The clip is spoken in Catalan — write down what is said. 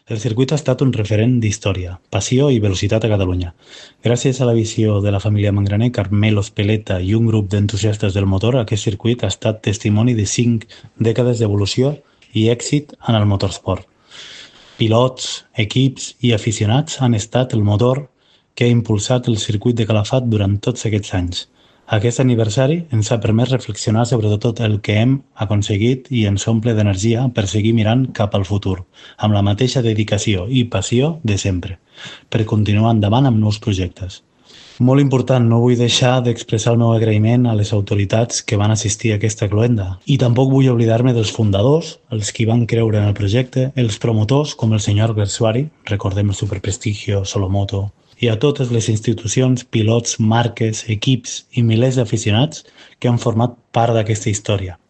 El circuit ha estat un referent d'història, passió i velocitat a Catalunya. Gràcies a la visió de la família Mangraner, Carmelo Speleta i un grup d'entusiastes del motor, aquest circuit ha estat testimoni de 5 dècades d'evolució i èxit en el motorsport. Pilots, equips i aficionats han estat el motor que ha impulsat el circuit de Calafat durant tots aquests anys. Aquest aniversari ens ha permès reflexionar sobre tot el que hem aconseguit i ens omple d'energia per seguir mirant cap al futur, amb la mateixa dedicació i passió de sempre, per continuar endavant amb nous projectes. Molt important, no vull deixar d'expressar el meu agraïment a les autoritats que van assistir a aquesta cloenda. I tampoc vull oblidar-me dels fundadors, els qui van creure en el projecte, els promotors, com el senyor Bersuari, recordem el superprestigio Solomoto, i a totes les institucions, pilots, marques, equips i milers d'aficionats que han format part d'aquesta història.